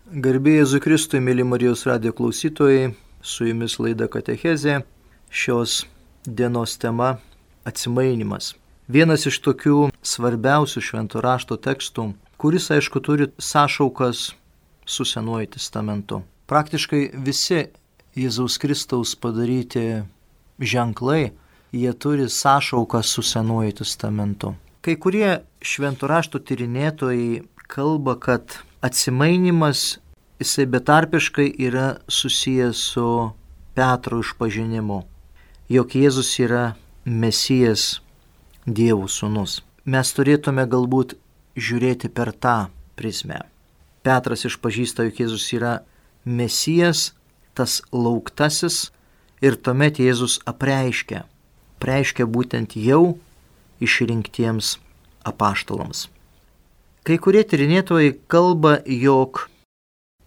Garbė Jėzui Kristui, mėly Marijos radijo klausytojai, su jumis laida Katechezė. Šios dienos tema – atsimainimas. Vienas iš tokių svarbiausių švento rašto tekstų, kuris, aišku, turi sąšaukas su Senuoju testamentu. Praktiškai visi Jėzaus Kristaus padaryti ženklai, jie turi sąšauką su Senuoju testamentu. Kai kurie švento rašto tyrinėtojai kalba, kad atsimainimas, jisai betarpiškai yra susijęs su Petro išpažinimu, jog Jėzus yra Mesijas, Dievo sūnus. Mes turėtume galbūt žiūrėti per tą prizmę. Petras išpažįsta, jog Jėzus yra Mesijas, tas lauktasis, ir tuomet Jėzus apreiškia būtent jau išrinktiems apaštalams. Kai kurie tyrinėtojai kalba, jog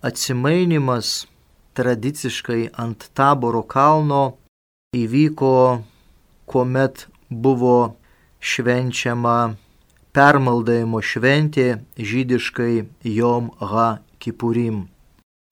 atsimainimas tradiciškai ant Taboro kalno įvyko, kuomet buvo švenčiama permaldavimo šventė, žydiškai Jom HaKipurim.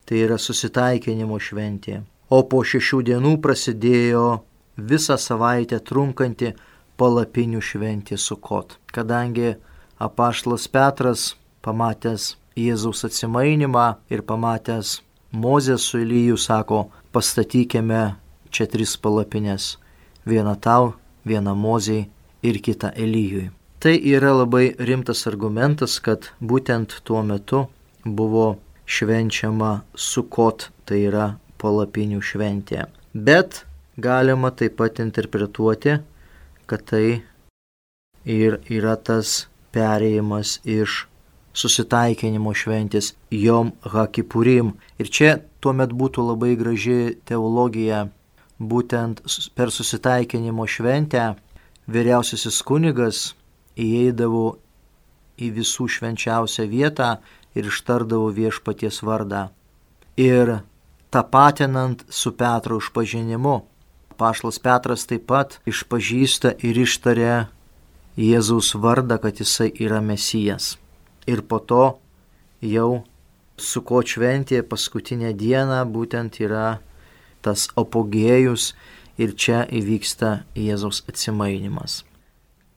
Tai yra susitaikinimo šventė. O po 6 dienų prasidėjo visą savaitę trunkanti palapinių šventė Sukot. Kadangi apaštalas Petras, pamatęs Jėzaus atsimainimą ir pamatęs Mozę su Eliju, sako, pastatykime čia 3 palapines. Vieną tau, vieną Mozei ir kitą Elijui. Tai yra labai rimtas argumentas, kad būtent tuo metu buvo švenčiama Sukot, tai yra palapinių šventė. Bet galima taip pat interpretuoti, kad tai ir yra tas perėjimas iš susitaikinimo šventės Jom HaKipurim. Ir čia tuomet būtų labai graži teologija. Būtent per susitaikinimo šventę vyriausiasis kunigas įeidavo į visų švenčiausią vietą ir ištardavo viešpaties vardą. Ir tapatinant su Petro išpažinimu, apaštalas Petras taip pat išpažįsta ir ištaria Jėzaus vardą, kad jisai yra Mesijas. Ir po to jau Sukot šventė paskutinę dieną būtent yra tas apogėjus ir čia įvyksta Jėzaus atsimainimas.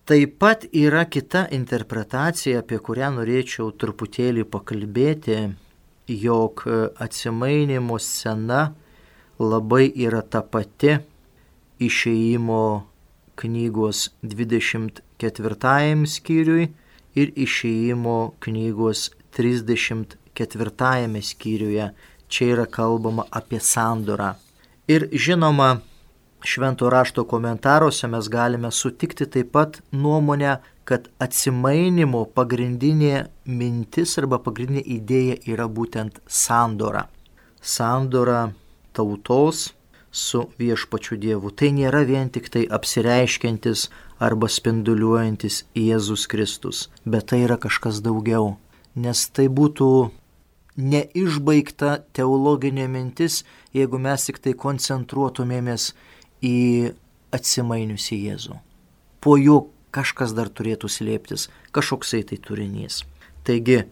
Taip pat yra kita interpretacija, apie kurią norėčiau truputėlį pakalbėti, jog atsimainimo scena labai yra ta pati Išėjimo knygos 24 skyriui ir Išėjimo knygos 34 skyriuje. Čia yra kalbama apie sandorą. Ir žinoma, švento rašto komentaruose mes galime sutikti taip pat nuomonę, kad atsimainimo pagrindinė mintis arba pagrindinė idėja yra būtent sandora. Sandora tautos su viešpačiu Dievu. Tai nėra vien tik tai apsireiškiantis arba spinduliuojantis Jėzus Kristus, bet tai yra kažkas daugiau, nes tai būtų neišbaigta teologinė mintis, jeigu mes tik tai koncentruotumėmės į atsimainiusį Jėzų. Po jo kažkas dar turėtų slėptis, kažkoksai tai turinys. Taigi,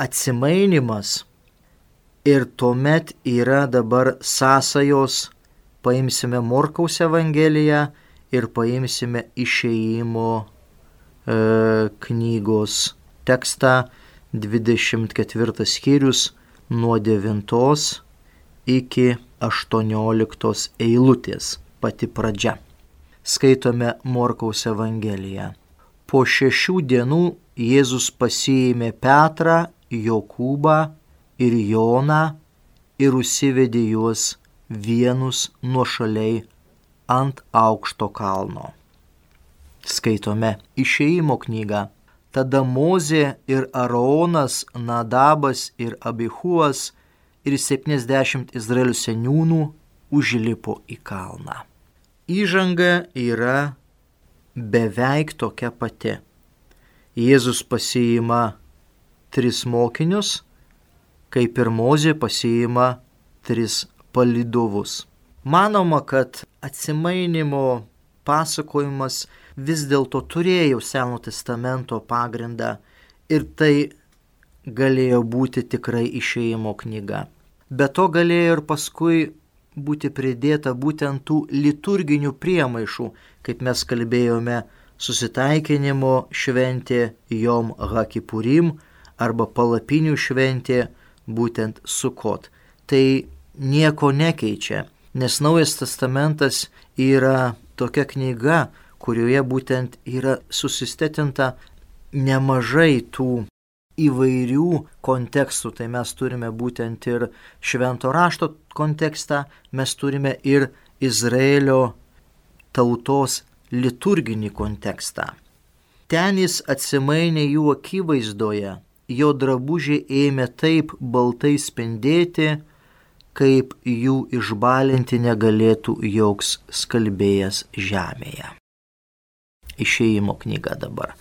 atsimainimas ir tuomet yra dabar sąsajos. Paimsime Morkaus Evangeliją ir paimsime Išėjimo knygos tekstą, 24 skyrius nuo 9 iki 18 eilutės, pati pradžia. Skaitome Morkaus Evangeliją. Po 6 dienų Jėzus pasiėmė Petrą, Jokūbą ir Joną ir užsivedė juos vienus nuošaliai ant aukšto kalno. Skaitome Išėjimo knygą. Tada Mozė ir Aaronas, Nadabas ir Abihuas ir 70 Izraelio seniūnų užlipo į kalną. Įžanga yra beveik tokia pati. Jėzus pasiima 3 mokinius, kaip ir Mozė pasiima 3 palydovus. Manoma, kad atsimainimo pasakojimas vis dėlto turėjo Seno testamento pagrindą ir tai galėjo būti tikrai Išėjimo knyga. Be to galėjo ir paskui būti pridėta būtent tų liturginių priemaišų, kaip mes kalbėjome, susitaikinimo šventė Jom HaKipurim arba palapinių šventė būtent Sukot. Tai nieko nekeičia, nes Naujas testamentas yra tokia knyga, kurioje būtent yra susistetinta nemažai tų įvairių kontekstų. Tai mes turime būtent ir Švento rašto kontekstą, mes turime ir Izraelio tautos liturginį kontekstą. Ten jis atsimainė jų akivaizdoje, jo drabužiai ėmė taip baltai spindėti, kaip jų išbalinti negalėtų joks skalbėjas žemėje. Išėjimo knyga dabar.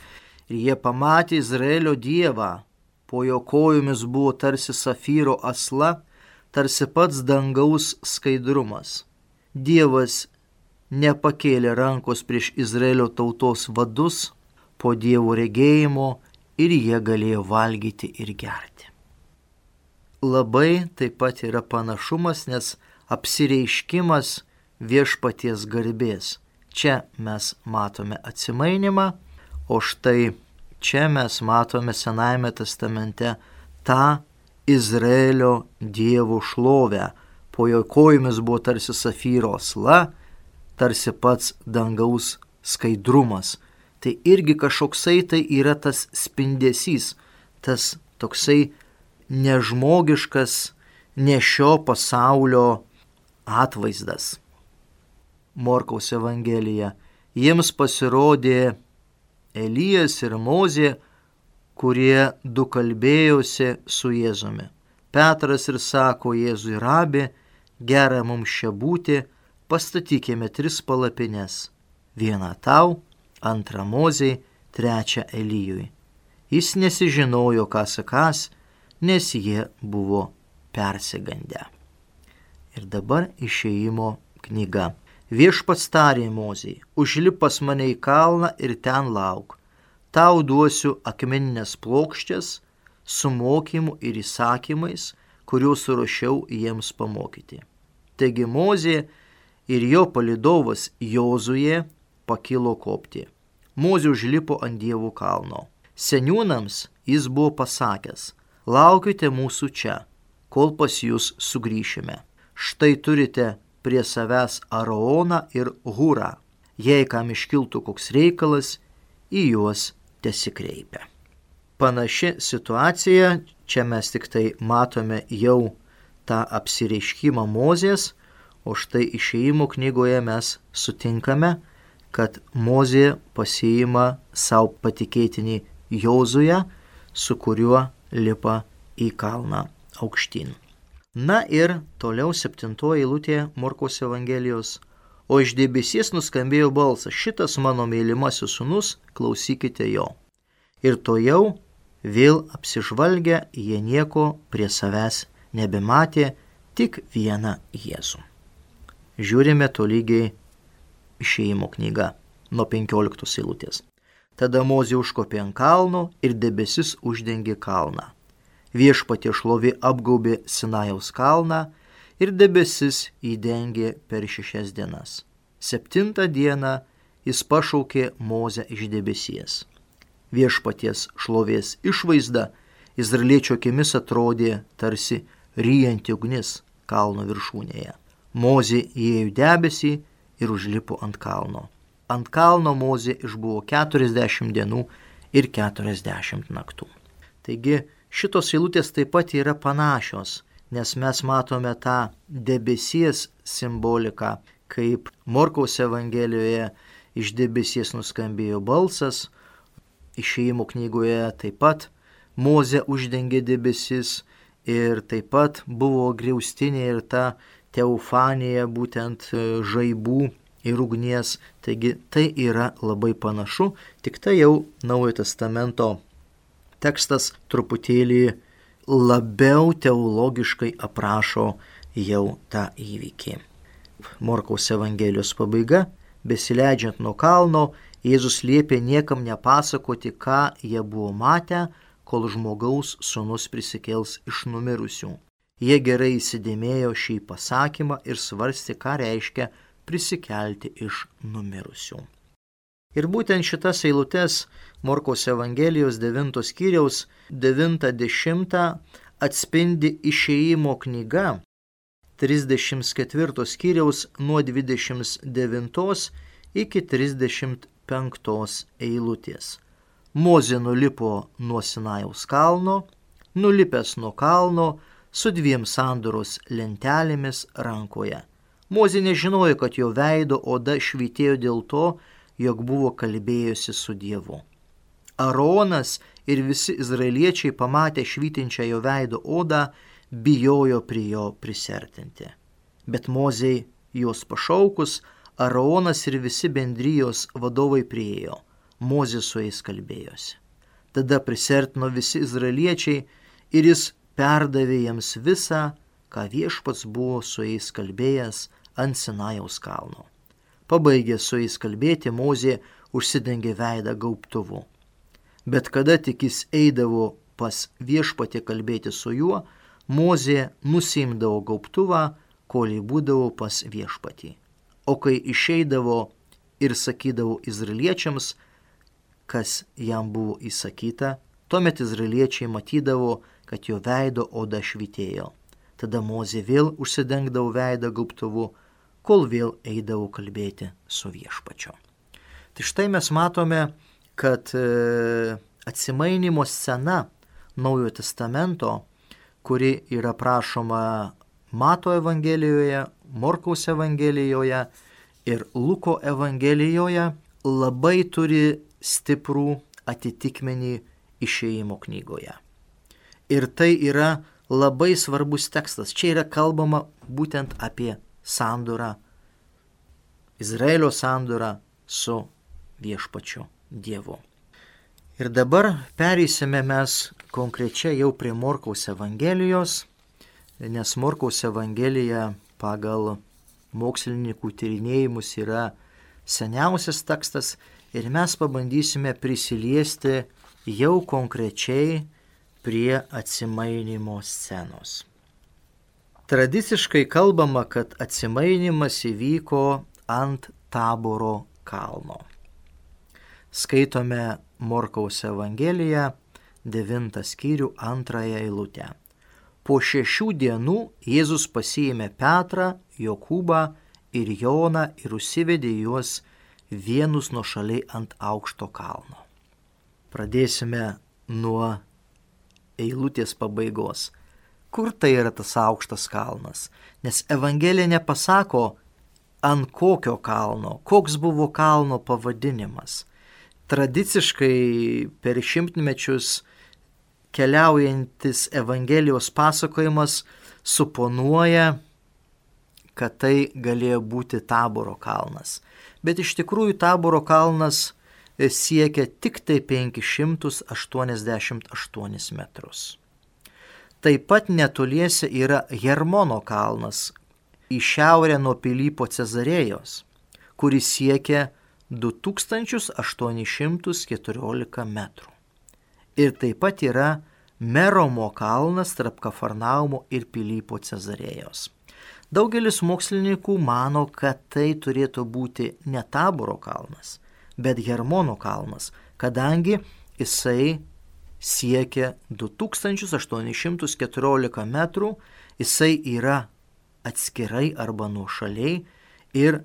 Ir jie pamatė Izraelio Dievą, po jo kojomis buvo tarsi safyro asla, tarsi pats dangaus skaidrumas. Dievas nepakėlė rankos prieš Izraelio tautos vadus po Dievo regėjimo ir jie galėjo valgyti ir gerti. Labai taip pat yra panašumas, nes apsireiškimas viešpaties garbės. Čia mes matome atsimainimą, o štai čia mes matome Senajame testamente tą Izraelio Dievo šlovę. Po jo kojomis buvo tarsi safyro asla, tarsi pats dangaus skaidrumas. Tai irgi kažkoksai tai yra tas spindesys, tas toksai nežmogiškas, ne šio pasaulio atvaizdas. Morkaus Evangelija. Jiems pasirodė Elijas ir Mozė, kurie du kalbėjosi su Jėzumi. Petras ir sako Jėzui: Rabi, gera mums čia būti, pastatykime 3 palapines. Vieną tau, antrą Mozei, trečią Elijui. Jis nesižinojo, ką sakys, nes jie buvo persigandę. Ir dabar Išėjimo knyga. Viešpats tarė Mozei: užlip pas mane į kalną ir ten lauk. Tau duosiu akmeninės plokščias su mokymu ir įsakymais, kuriuos suruošiau jiems pamokyti. Taigi Mozė ir jo palydovas Jozuė pakilo kopti. Mozė užlipo ant Dievo kalno. Seniūnams jis buvo pasakęs: laukite mūsų čia, kol pas jūs sugrįšime. Štai turite prie savęs Aaroną ir Hurą. Jei kam iškiltų koks reikalas, į juos tesikreipia. Panaši situacija, čia mes tik tai matome jau tą apsireiškimą Mozės, o štai Išėjimo knygoje mes sutinkame, kad Mozė pasiima savo patikėtinį Jozuę, su kuriuo lipa į kalną aukštyn. Na ir toliau 7 eilutė Morkaus Evangelijos. O iš debesies nuskambėjo balsas: šitas mano mylimasis sūnus, klausykite jo. Ir tojau vėl apsižvalgę, jie nieko prie savęs nebematė, tik vieną Jėzų. Žiūrime tolygiai Išėjimo knyga nuo 15 eilutės. Tada Mozė užkopė ant kalno ir debesis uždengė kalną. Viešpatie šlovė apgaubė Sinajaus kalną ir debesis įdengė per 6 dienas. 7 dieną jis pašaukė Mozę iš debesies. Viešpaties šlovės išvaizda izraeliečio akimis atrodė tarsi ryjanti ugnis kalno viršūnėje. Mozė įėjo debesį ir užlipo ant kalno. Ant kalno Mozė išbuvo 40 dienų ir 40 naktų. Taigi šitos eilutės taip pat yra panašios, nes mes matome tą debesies simboliką, kaip Morkaus Evangelijoje iš debesies nuskambėjo balsas, Išėjimo knygoje taip pat Mozę uždengė debesis ir taip pat buvo griaustinė ir ta teofanija, būtent žaibų ir ugnies. Taigi tai yra labai panašu, tik tai jau Naujojo testamento tekstas truputėlį labiau teologiškai aprašo jau tą įvykį. Morkaus Evangelijos pabaiga. Besileidžiant nuo kalno, Jėzus liepė niekam nepasakoti, ką jie buvo matę, kol žmogaus sūnus prisikels iš numirusių. Jie gerai įsidėmėjo šį pasakymą ir svarstė, ką reiškia prisikelti iš numirusių. Ir būtent šitas eilutes Morkaus Evangelijos 9 skyriaus 9-10 atspindi Išėjimo knyga 34 skyriaus nuo 29 iki 35 eilutės. Mozė nulipo nuo Sinajaus kalno, nulipęs nuo kalno su 2 sandoros lentelėmis rankoje. Mozė nežinojo, kad jo veido oda švytėjo dėl to, jog buvo kalbėjusi su Dievu. Aaronas ir visi izraeliečiai pamatę švytinčią jo veido odą, bijojo prie jo prisertinti. Bet Mozei juos pašaukus, Aaronas ir visi bendrijos vadovai priėjo. Mozė su jais kalbėjosi. Tada prisertino visi izraeliečiai ir jis perdavė jiems visą, ką Viešpats buvo su jais kalbėjęs ant Sinajaus kalno. Pabaigęs su jais kalbėti, Mozė užsidengė veidą gaubtuvu. Bet kada tik jis eidavo pas Viešpatį kalbėti su juo, Mozė nusiimdavo gaubtuvą, kol jį būdavo pas Viešpatį. O kai išeidavo ir sakydavo izraeliečiams, kas jam buvo įsakyta, tuomet izraeliečiai matydavo, kad jo veido oda švytėjo. Tada Mozė vėl užsidengdavo veidą gaubtuvu, kol vėl eidavo kalbėti su Viešpačiu. Tai štai mes matome, kad atsimainymo scena Naujojo testamento, kuri yra prašoma Mato Evangelijoje, Morkaus Evangelijoje ir Luko Evangelijoje, labai turi stiprų atitikmenį Išėjimo knygoje. Ir tai yra labai svarbus tekstas. Čia yra kalbama būtent apie sandorą, Izraelio sandorą su Viešpačiu Dievu. Ir dabar pereisime mes konkrečiai jau prie Morkaus Evangelijos, nes Morkaus Evangelija pagal mokslininkų tyrinėjimus yra seniausias tekstas ir mes pabandysime prisiliesti jau konkrečiai prie atsimainymo scenos. Tradiciškai kalbama, kad atsimainymas įvyko ant Taboro kalno. Skaitome Morkaus Evangeliją 9 skyrių 2 eilutę. Po 6 dienų Jėzus pasiėmė Petrą, Jokūbą ir Joną ir užsivedė juos vienus nuošaliai ant aukšto kalno. Pradėsime nuo eilutės pabaigos. Kur tai yra tas aukštas kalnas? Nes Evangelija nepasako, ant kokio kalno, koks buvo kalno pavadinimas. Tradiciškai per šimtmečius keliaujantis Evangelijos pasakojimas suponuoja, kad tai galėjo būti Taboro kalnas. Bet iš tikrųjų Taboro kalnas siekia tik tai 588 metrus. Taip pat netoliese yra Hermono kalnas į šiaurę nuo Pilypo Cezarėjos, kuris siekia 2814 metrų. Ir taip pat yra Meromo kalnas tarp Kafarnaumo ir Pilypo Cezarėjos. Daugelis mokslininkų mano, kad tai turėtų būti ne Taboro kalnas, bet Hermono kalnas, kadangi jisai siekia 2814 metrų, jisai yra atskirai arba nuošaliai ir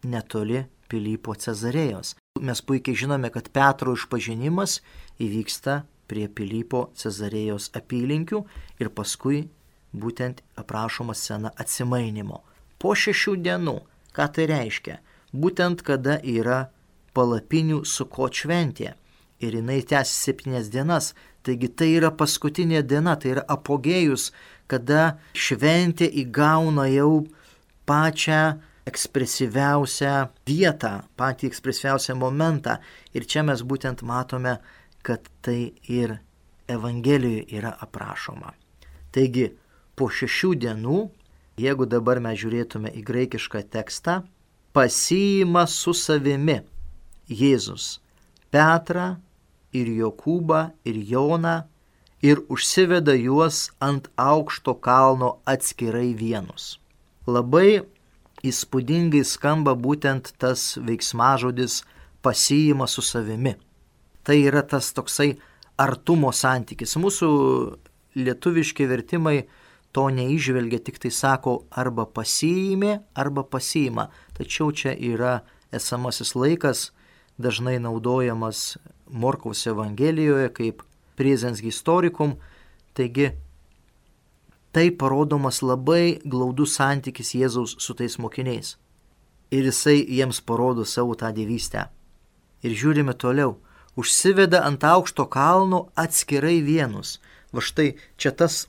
netoli Pilypo Cezarėjos. Mes puikiai žinome, kad Petro išpažinimas įvyksta prie Pilypo Cezarėjos apylinkių ir paskui būtent aprašoma scena atsimainymo. Po 6 dienų, ką tai reiškia? Būtent kada yra palapinių Sukot šventė ir jinai tęsia 7 dienas, taigi tai yra paskutinė diena, tai yra apogėjus, kada šventė įgauna jau pačią ekspresyviausią vietą, patį ekspresyviausią momentą. Ir čia mes būtent matome, kad tai ir Evangelijoje yra aprašoma. Taigi, po 6 dienų, jeigu dabar mes žiūrėtume į graikišką tekstą, pasiima su savimi Jėzus Petrą ir Jokūbą ir Joną ir užsiveda juos ant aukšto kalno atskirai vienus. Labai įspūdingai skamba būtent tas veiksmažodis pasiima su savimi. Tai yra tas toksai artumo santykis. Mūsų lietuviški vertimai to neįžvelgia, tik tai sako arba pasiėmė, arba pasiima. Tačiau čia yra esamasis laikas, dažnai naudojamas Morkaus Evangelijoje kaip presens historikum. Taigi, tai parodomas labai glaudus santykis Jėzaus su tais mokiniais. Ir jisai jiems parodo savo tą dievystę. Ir žiūrime toliau. Užsiveda ant aukšto kalno atskirai vienus. Va štai čia tas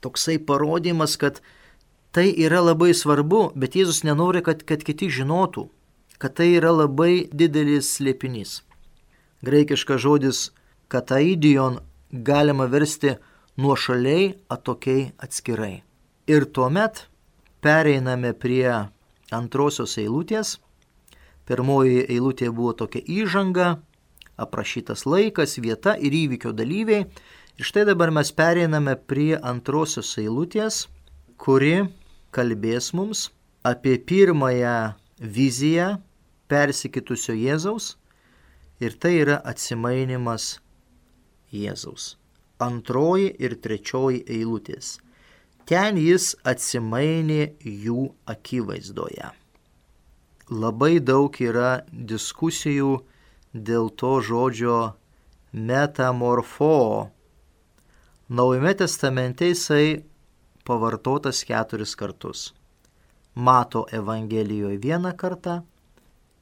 toksai parodymas, kad tai yra labai svarbu, bet Jėzus nenori, kad kiti žinotų, kad tai yra labai didelis slėpinys. Graikiškas žodis kataidion galima versti nuošaliai, atokiai, atskirai. Ir tuomet pereiname prie antrosios eilutės. Pirmoji eilutė buvo tokia įžanga, aprašytas laikas, vieta ir įvykio dalyviai. Ir štai dabar mes pereiname prie antrosios eilutės, kuri kalbės mums apie pirmąją viziją persikitusio Jėzaus. Ir tai yra atsimainimas Jėzaus. Antroji ir trečioji eilutės. Ten jis atsimainė jų akivaizdoje. Labai daug yra diskusijų dėl to žodžio metamorfo. Naujame testamente jisai pavartotas 4 kartus. Mato Evangelijoje 1 kartą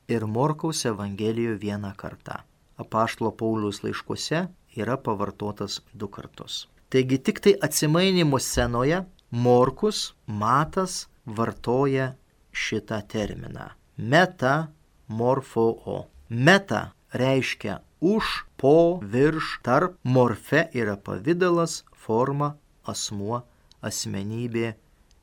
ir Morkaus Evangelijoje 1 kartą. Apaštalo Pauliaus laiškuose yra pavartotas 2 kartus. Taigi tik tai atsimainimo scenoje Morkus, Matas vartoja šitą terminą. Metamorfo. Meta reiškia už, po, virš, tarp. Morfe yra pavidalas, forma, asmuo, asmenybė,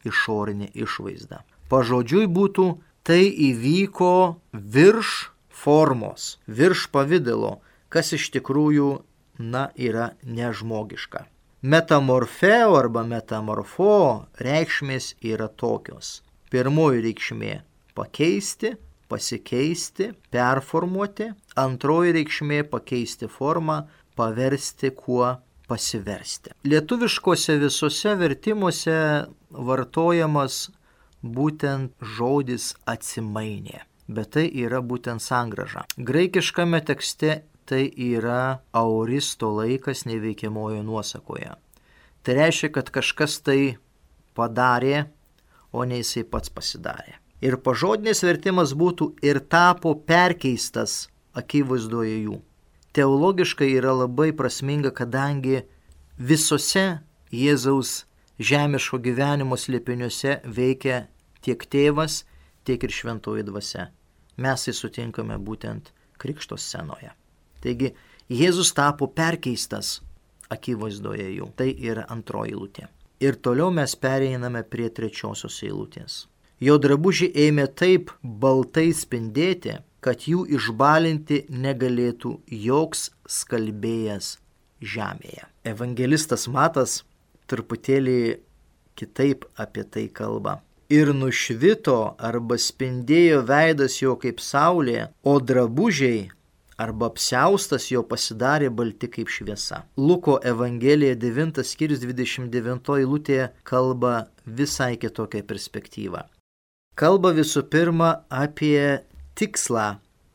išorinė išvaizda. Pažodžiui būtų, tai įvyko virš formos, virš pavidalo, kas iš tikrųjų, yra nežmogiška. Metamorfeo arba metamorfo reikšmės yra tokios. Pirmoji reikšmė – pakeisti, pasikeisti, performuoti. Antroji reikšmė – pakeisti formą, paversti kuo pasiversti. Lietuviškose visose vertimuose vartojamas būtent žodis atsimainė, bet tai yra būtent sangrąža. Graikiškame tekste tai yra auristo laikas neveikiamojo nuosakoje. Tai reiškia, kad kažkas tai padarė, o ne jisai pats pasidarė. Ir pažodinis vertimas būtų ir tapo perkeistas akivaizdoje jų. Teologiškai yra labai prasminga, kadangi visose Jėzaus žemiško gyvenimo slėpiniuose veikia tiek tėvas, tiek ir šventoji dvasia. Mes tai sutinkame būtent krikšto scenoje. Taigi, Jėzus tapo perkeistas akivaizdoje jų. Tai yra antroji eilutė. Ir toliau mes pereiname prie trečiosios eilutės. Jo drabužiai ėmė taip baltai spindėti, kad jų išbalinti negalėtų joks skalbėjas žemėje. Evangelistas Matas truputėlį kitaip apie tai kalba. Ir nušvito arba spindėjo veidas jo kaip saulė, o drabužiai arba apsiaustas jo pasidarė balti kaip šviesa. Luko Evangelija 9 skyrius 29 eilutėje kalba visai kitokią perspektyvą. Kalba visų pirma apie tikslą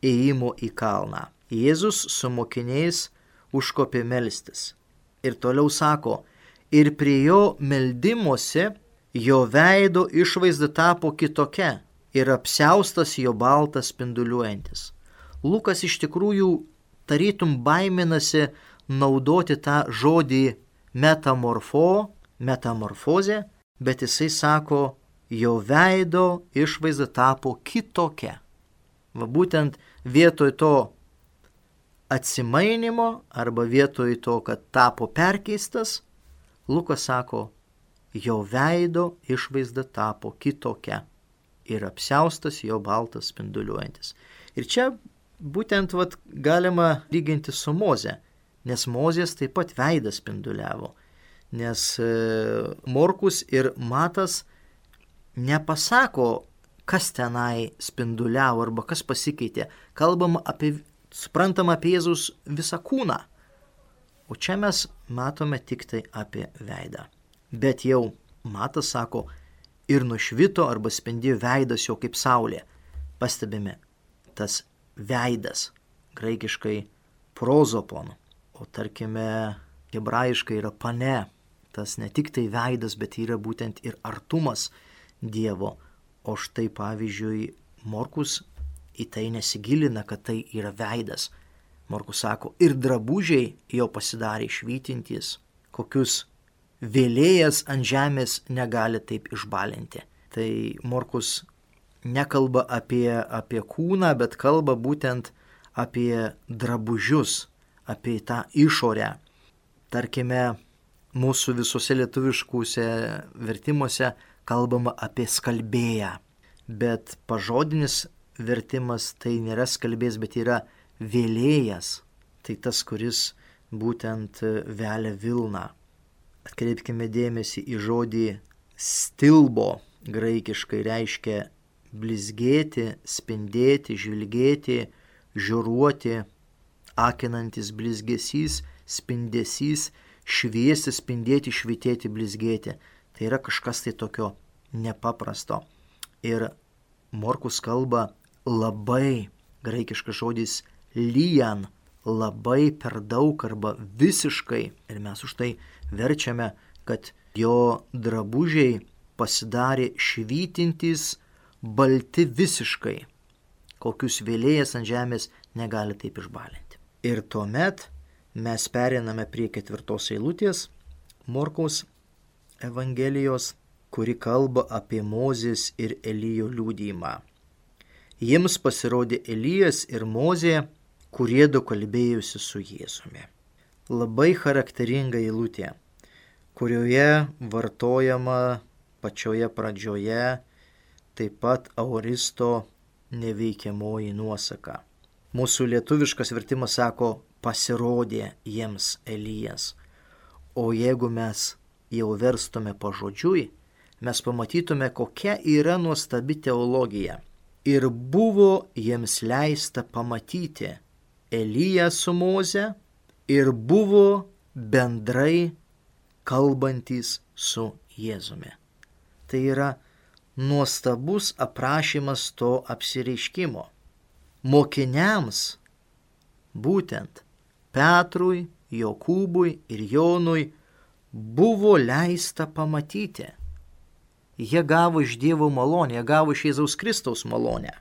ėjimo į kalną. Jėzus su mokiniais užkopė melstis. Ir toliau sako, ir prie jo meldimosi jo veido išvaizda tapo kitokia ir apsiaustas jo baltas spinduliuojantis. Lukas iš tikrųjų tarytum baiminasi naudoti tą žodį metamorfozė, bet jisai sako, jo veido išvaizda tapo kitokia. Va būtent vietoj to atsimainimo arba vietoj to, kad tapo perkeistas, Lukas sako, jo veido išvaizda tapo kitokia ir apsiaustas jo baltas spinduliuojantis. Ir čia būtent galima lyginti su Moze, nes Mozės taip pat veidas spinduliavo, nes Morkus ir Matas nepasako, kas tenai spinduliavo arba kas pasikeitė. Suprantama apie Jėzaus visą kūną, o čia mes matome tik tai apie veidą. Bet jau Matas sako, ir nušvito arba spindėjo veidas jo kaip saulė. Pastebime, tas veidas, graikiškai prozopon, o tarkime hebrajiškai yra pane. Tas ne tik tai veidas, bet yra būtent ir artumas Dievo. O štai pavyzdžiui, Morkus į tai nesigilina, kad tai yra veidas. Morkus sako, ir drabužiai jo pasidarė švytintys, kokius vėlėjas ant žemės negali taip išbalinti. Tai Morkus nekalba apie kūną, bet kalba būtent apie drabužius, apie tą išorę. Tarkime, mūsų visose lietuviškuose vertimuose kalbama apie skalbėją, bet pažodinis vertimas tai nėra skalbėjas, bet yra vėlėjas. Tai tas, kuris būtent velia vilną. Atkreipkime dėmesį į žodį stilbo, graikiškai reiškia blizgėti, spindėti, žvilgėti, žiūruoti, akinantis blizgesys, spindesys, šviesti, spindėti, švytėti, blizgėti. Tai yra kažkas tai tokio nepaprasto. Ir Morkus kalba labai, graikiškas žodis lijan, labai per daug arba visiškai. Ir mes už tai verčiame, kad jo drabužiai pasidarė švytintys, balti visiškai, kokius vėlėjas ant žemės negali taip išbalinti. Ir tuomet mes pereiname prie 4 eilutės Morkaus Evangelijos, kuri kalba apie Mozės ir Elijo liudijimą. Jiems pasirodė Elijas ir Mozė, kurie du kalbėjusi su Jėzumi. Labai charakteringa eilutė, kurioje vartojama pačioje pradžioje taip pat aoristo neveikiamoji nuosaka. Mūsų lietuviškas vertimas sako, pasirodė jiems Elijas. O jeigu mes jau verstume pažodžiui, mes pamatytume, kokia yra nuostabi teologija. Ir buvo jiems leista pamatyti Eliją su Moze ir buvo bendrai kalbantys su Jėzumi. Tai yra nuostabus aprašymas to apsireiškimo. Mokiniams, būtent Petrui, Jokūbui ir Jonui, buvo leista pamatyti. Jie gavo iš Dievo malonę, jie gavo iš Jėzaus Kristaus malonę.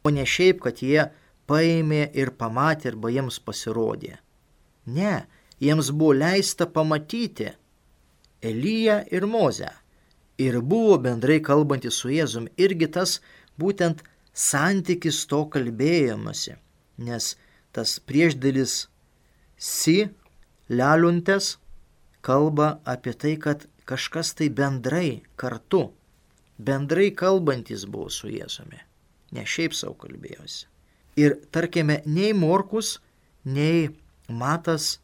O ne šiaip, kad jie paėmė ir pamatė arba jiems pasirodė. Ne, jiems buvo leista pamatyti Eliją ir Mozę. Ir buvo bendrai kalbantys su Jėzumi. Irgi tas būtent santykis to kalbėjimasi. Nes tas priešdėlis si, leliuntės, kalba apie tai, kad kažkas tai bendrai kartu, bendrai kalbantis buvo su Jėzumi. Ne šiaip savo kalbėjosi. Ir tarkime, nei Morkus, nei Matas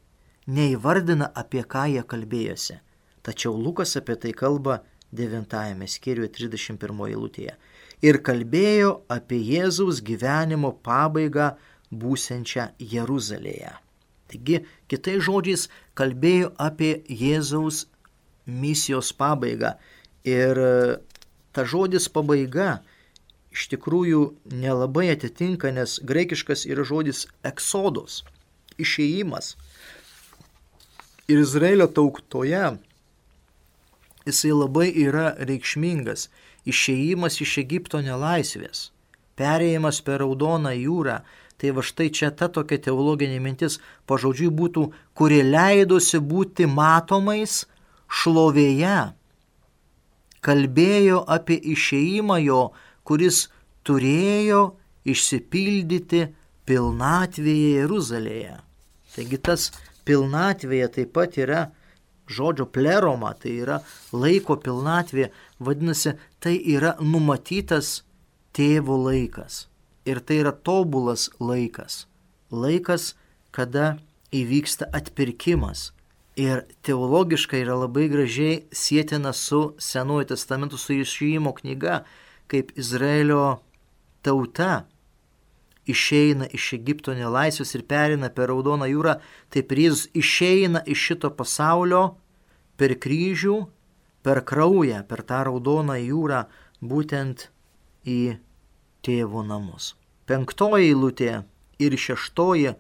neįvardina, apie ką jie kalbėjosi. Tačiau Lukas apie tai kalba 9 skyriuje 31 eilutėje. Ir kalbėjo apie Jėzaus gyvenimo pabaigą būsiančią Jeruzalėje. Taigi, kitais žodžiais, kalbėjo apie Jėzaus misijos pabaigą. Ir ta žodis pabaiga iš tikrųjų nelabai atitinka, nes graikiškas yra žodis eksodos, išėjimas. Ir Izraelio tautoje jisai labai yra reikšmingas. Išėjimas iš Egipto nelaisvės, perėjimas per Raudoną jūrą. Tai va štai čia ta tokia teologinė mintis pažodžiui būtų, kurie leidosi būti matomais šlovėje. Kalbėjo apie išėjimą jo, kuris turėjo išsipildyti pilnatvėje Jeruzalėje. Taigi tas pilnatvėje taip pat yra žodžio pleroma, tai yra laiko pilnatvė, vadinasi, tai yra numatytas tėvo laikas. Ir tai yra tobulas laikas. Laikas, kada įvyksta atpirkimas. Ir teologiškai yra labai gražiai sietina su Senuoju testamentu, su Išėjimo knyga, kaip Izraelio tauta išeina iš Egipto nelaisvės ir pereina per Raudoną jūrą, taip ir Jėzus išeina iš šito pasaulio per kryžių, per kraują, per tą Raudoną jūrą, būtent į tėvo namus. 5 eilutė ir 6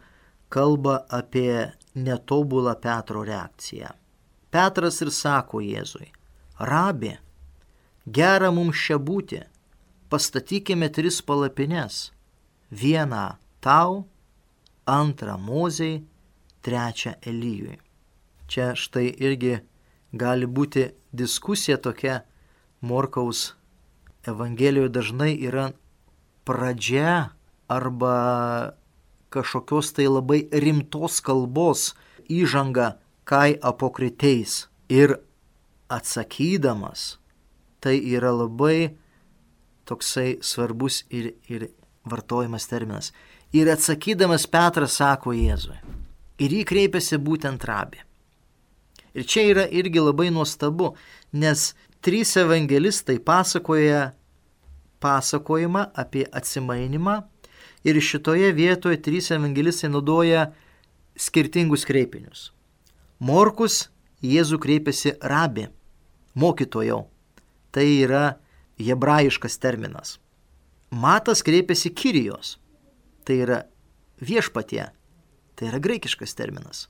kalba apie netobulą Petro reakciją. Petras ir sako Jėzui: Rabi, gera mums čia būti, pastatykime 3 palapines. Vieną tau, 2 Mozei, 3 Elijui. Čia štai irgi gali būti diskusija tokia. Morkaus Evangelijoje dažnai yra pradžia arba kažkokios tai labai rimtos kalbos įžanga kai apokriteis. Ir atsakydamas, tai yra labai toksai svarbus ir vartojamas terminas. Ir atsakydamas Petras sako Jėzui. Ir jį kreipiasi būtent Rabi. Ir čia yra irgi labai nuostabu, nes 3 evangelistai pasakoja pasakojimą apie atsimainimą ir šitoje vietoje 3 evangelistai naudoja skirtingus kreipinius. Morkus Jėzų kreipiasi Rabi, mokytojau. Tai yra hebrajiškas terminas. Matas kreipiasi Kyrijos, tai yra viešpatie, tai yra graikiškas terminas.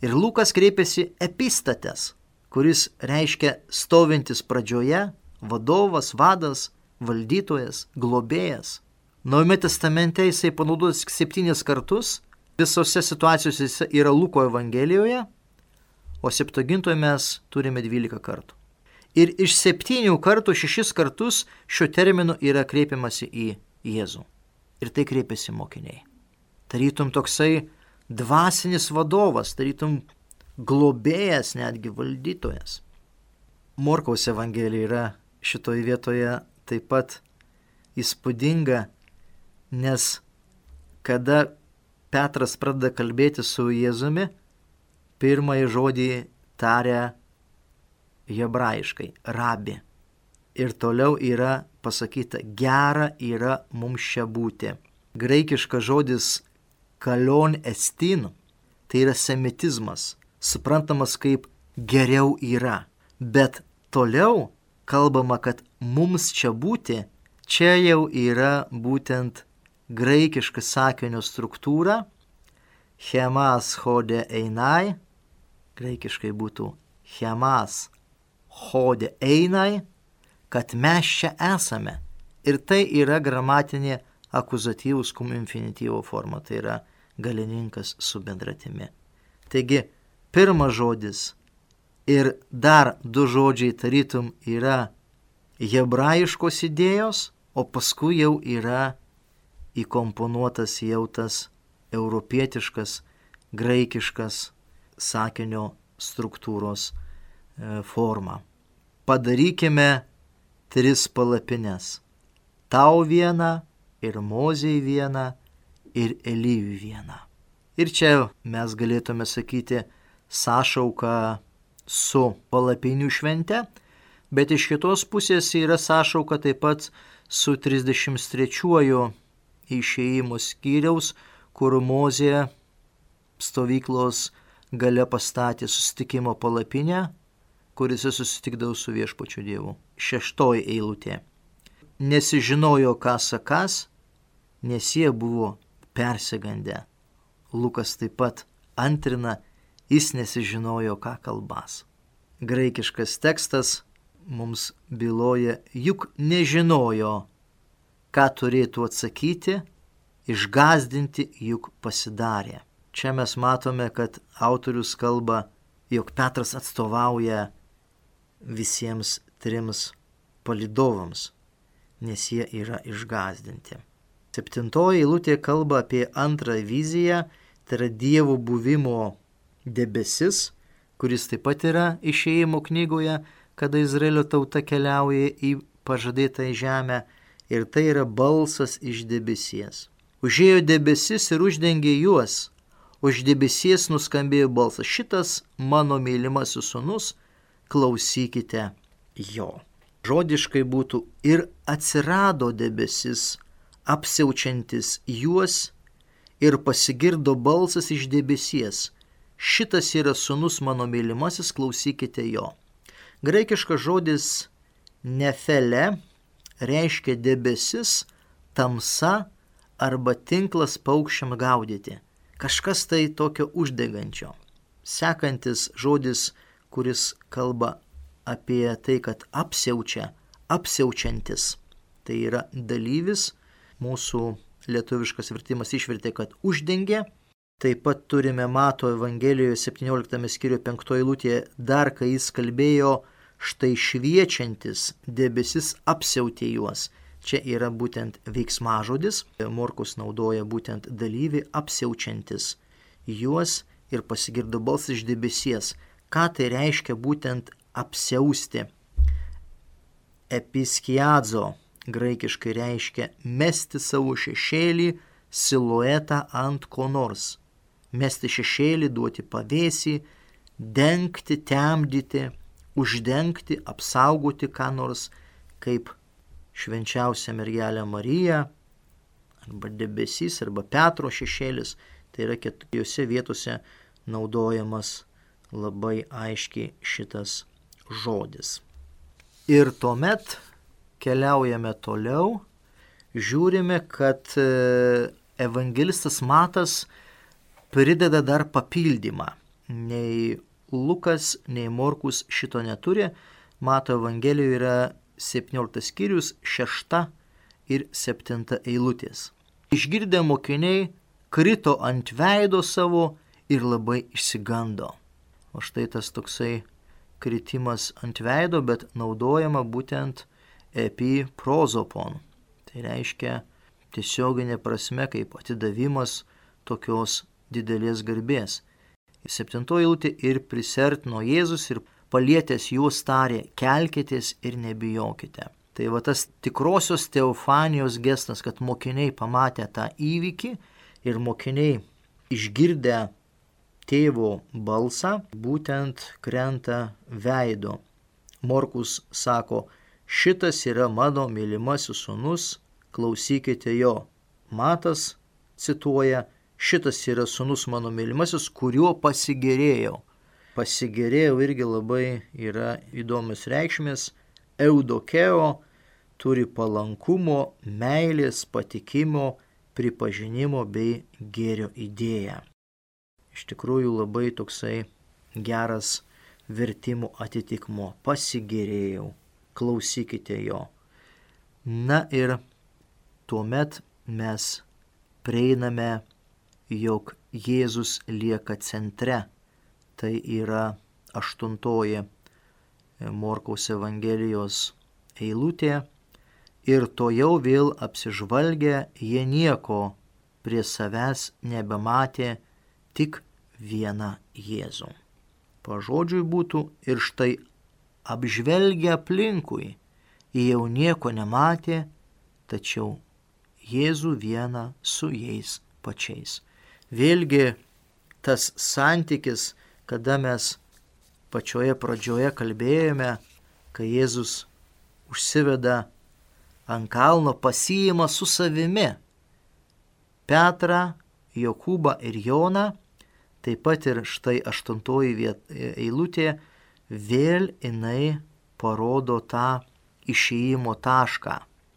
Ir Lukas kreipiasi Epistates, kuris reiškia stovintis pradžioje, vadovas, vadas, valdytojas, globėjas. Naujame testamente jisai panaudotas 7 kartus, visose situacijose jis yra Luko Evangelijoje, o Septuagintoje mes turime 12 kartų. Ir iš 7 kartų 6 kartus šiuo terminu yra kreipiamasi į Jėzų. Ir tai kreipiasi mokiniai. Tarytum toksai dvasinis vadovas, tarytum globėjas, netgi valdytojas. Morkaus Evangelija yra šitoje vietoje taip pat įspūdinga, nes kada Petras pradeda kalbėti su Jėzumi, pirmąjį žodį taria hebrajiškai Rabi. Ir toliau yra pasakyta: gera yra mums čia būti. Graikiškas žodis kalion estin, tai yra semitizmas, suprantamas kaip geriau yra. Bet toliau kalbama, kad mums čia būti, čia jau yra būtent graikiška sakinio struktūra, chemas hode einai, graikiškai būtų chemas hode einai, kad mes čia esame. Ir tai yra gramatinė akuzatyvus cum infinityvo forma, tai yra galininkas su bendratimi. Taigi, pirmas žodis ir dar 2 žodžiai tarytum yra hebrajiškos idėjos, o paskui jau yra įkomponuotas jau tas europietiškas, graikiškas sakinio struktūros forma. Padarykime 3 palapines. Tau vieną, ir Mozei vieną, ir Elijui vieną. Ir čia mes galėtume sakyti sąšauką su palapinių švente, bet iš kitos pusės yra sąšauka taip pat su 33 išėjimo skyriaus, kur Mozė stovyklos gale pastatė susitikimo palapinę, kuris susitikdavo su viešpačiu Dievu. 6 eilutė. Nesižinojo, ką sakas, nes jie buvo persigandę. Lukas taip pat antrina, jis nesižinojo, ką kalbas. Graikiškas tekstas mums byloja, juk nežinojo, ką turėtų atsakyti, išgąsdinti juk pasidarė. Čia mes matome, kad autorius kalba, jog Petras atstovauja visiems 3 palydovams, nes jie yra išgąsdinti. 7 eilutė kalba apie antrą viziją, tai yra Dievo buvimo debesis, kuris taip pat yra Išėjimo knygoje, kada Izraelio tauta keliauja į pažadėtą žemę, ir tai yra balsas iš debesies. Užėjo debesis ir uždengė juos, už debesies nuskambėjo balsas: šitas mano mylimasis sūnus, klausykite jo. Žodiškai būtų: ir atsirado debesis, apsiaučiantis juos, ir pasigirdo balsas iš debesies: šitas yra sūnus mano mylimasis, klausykite jo. Graikiškas žodis nefele reiškia debesis, tamsa arba tinklas paukščiam gaudyti. Kažkas tai tokio uždegančio. Sekantis žodis, kuris kalba apie tai, kad apsiaučia, apsiaučiantis. Tai yra dalyvis, mūsų lietuviškas vertimas išvertė, kad uždengia. Taip pat turime Mato Evangelijoje 17 skyriuje 5 eilutėje dar, kai jis kalbėjo: štai šviečiantis debesis apsiautė juos. Čia yra būtent veiksmažodis. Morkus naudoja būtent dalyvį apsiaučiantis juos ir pasigirdo balsas iš debesies. Ką tai reiškia būtent apsiausti? Episkiadzo graikiškai reiškia mesti savo šešėlį, siluetą ant ko nors. Mesti šešėlį, duoti pavėsį, dengti, temdyti, uždengti, apsaugoti ką nors, kaip švenčiausia mergelė Marija, arba debesys, arba Petro šešėlis. Tai yra keturiose vietose naudojamas labai aiškiai šitas žodis. Ir tuomet keliaujame toliau, žiūrime, kad evangelistas Matas prideda dar papildymą. Nei Lukas, nei Morkus šito neturi. Mato Evangelijoje yra 17 skyrius, 6 ir 7 eilutės. Išgirdę mokiniai krito ant veido savo ir labai išsigando. O štai tas toksai kritimas ant veido, bet naudojama būtent epiprozopon. Tai reiškia tiesioginė prasme kaip atidavimas tokios didelės garbės. 7 eilutė: ir prisertino Jėzus ir palietęs juos tarė: kelkitės ir nebijokite. Tai va tas tikrosios teofanijos gestas, kad mokiniai pamatė tą įvykį ir mokiniai išgirdę tėvo balsą būtent krenta veido. Morkus sako: šitas yra mano mylimasis sūnus, klausykite jo. Matas cituoja: šitas yra sūnus mano mylimasis, kuriuo pasigėrėjau. Pasigėrėjau irgi labai yra įdomios reikšmės. Eudokeo turi palankumo, meilės, patikimo, pripažinimo bei gėrio idėją. Iš tikrųjų labai toksai geras vertimų atitikmuo. Pasigėrėjau, klausykite jo. Na ir tuomet mes prieiname, jog Jėzus lieka centre. Tai yra 8 Morkaus Evangelijos eilutė. Ir tojau vėl apsižvalgę, jie nieko prie savęs nebematė, tik vieną Jėzų. Pažodžiui būtų: ir štai apžvelgę aplinkui, jie jau nieko nematė, tačiau Jėzų vieną su jais pačiais. Vėlgi tas santykis, kada mes pačioje pradžioje kalbėjome, kai Jėzus užsiveda ant kalno, pasiima su savimi Petrą, Jokūbą ir Joną. Taip pat ir štai 8 eilutė vėl jinai parodo tą išėjimo tašką.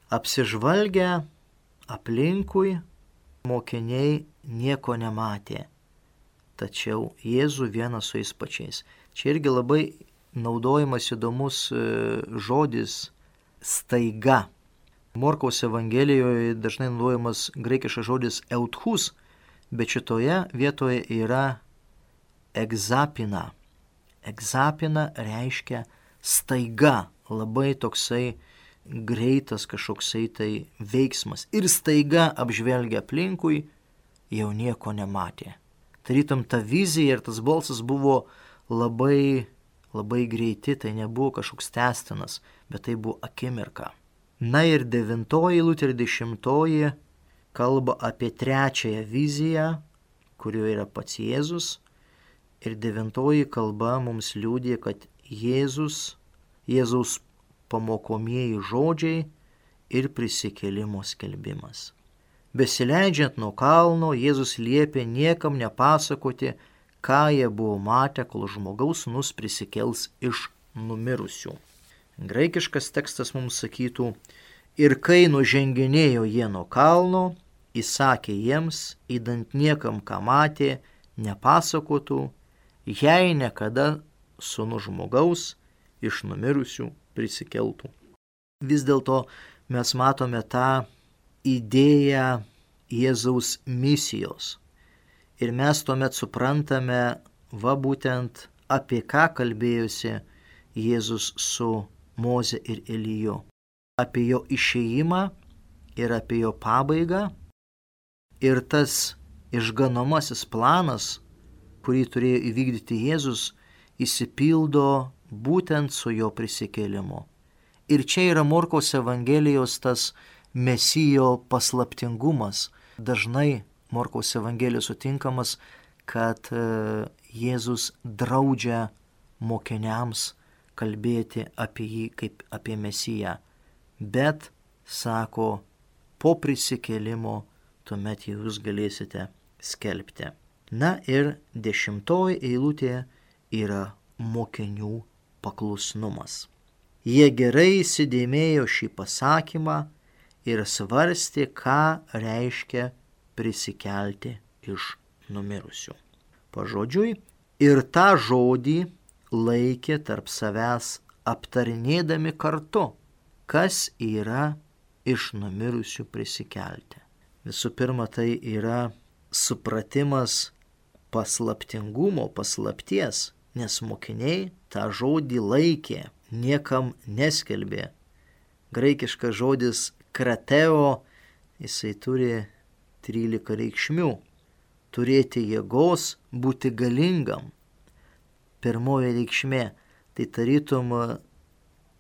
Apsižvalgę aplinkui, mokiniai nieko nematė, tačiau Jėzų vieną su jais pačiais. Čia irgi labai naudojamas įdomus žodis staiga. Morkaus Evangelijoje dažnai naudojamas graikiškas žodis euthus, bet šitoje vietoje yra egzapina. Egzapina reiškia staiga, labai toksai greitas kažkoksai tai veiksmas. Ir staiga apžvelgia aplinkui, jau nieko nematė. Tarytum ta vizija ir tas balsas buvo labai greiti, tai nebuvo kažkoks tęstinas, bet tai buvo akimirka. Na ir 9 eilutė ir 10 kalba apie trečiąją viziją, kurioje yra pats Jėzus. Ir 9 kalba mums liudija, kad Jėzaus pamokomieji žodžiai ir prisikėlimo skelbimas. Besileidžiant nuo kalno, Jėzus liepė niekam nepasakoti, ką jie buvo matę, kol žmogaus sūnus prisikels iš numirusių. Graikiškas tekstas mums sakytų: ir kai nuženginėjo jie nuo kalno, įsakė jiems, įdant niekam, ką matė, nepasakotų, jei niekada sūnus žmogaus iš numirusių prisikeltų. Vis dėlto mes matome tą idėją Jėzaus misijos. Ir mes tuomet suprantame, būtent apie ką kalbėjosi Jėzus su Moze ir Eliju. Apie jo išėjimą ir apie jo pabaigą. Ir tas išganomasis planas, kurį turėjo įvykdyti Jėzus, įsipildo būtent su jo prisikėlimu. Ir čia yra Morkaus Evangelijos tas Mesijo paslaptingumas. Dažnai Morkaus Evangelijos sutinkamas, kad Jėzus draudžia mokiniams kalbėti apie jį kaip apie Mesiją. Bet, sako, po prisikėlimo tuomet jūs galėsite skelbti. Na ir 10 eilutė yra mokinių paklusnumas. Jie gerai įsidėmėjo šį pasakymą ir svarstė, ką reiškia prisikelti iš numirusių. Pažodžiui, ir tą žodį laikė tarp savęs aptarinėdami kartu, kas yra iš numirusių prisikelti. Visų pirma, tai yra supratimas paslaptingumo, paslapties, nes mokiniai tą žodį laikė, niekam neskelbė. Graikiškas žodis krateo, jisai turi 13 reikšmių. Turėti jėgos, būti galingam. Pirmoji reikšmė, tai tarytum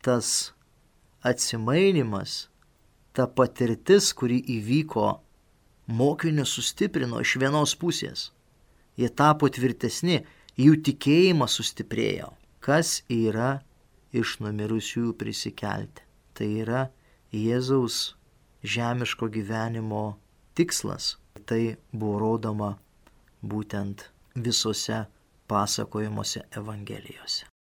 tas atsimainimas, ta patirtis, kuri įvyko, mokinius sustiprino iš vienos pusės. Jie tapo tvirtesni, jų tikėjimas sustiprėjo. Kas yra iš numirusiųjų prisikelti? Tai yra Jėzaus žemiško gyvenimo tikslas. Tai buvo rodoma būtent visose pasakojimuose Evangelijose.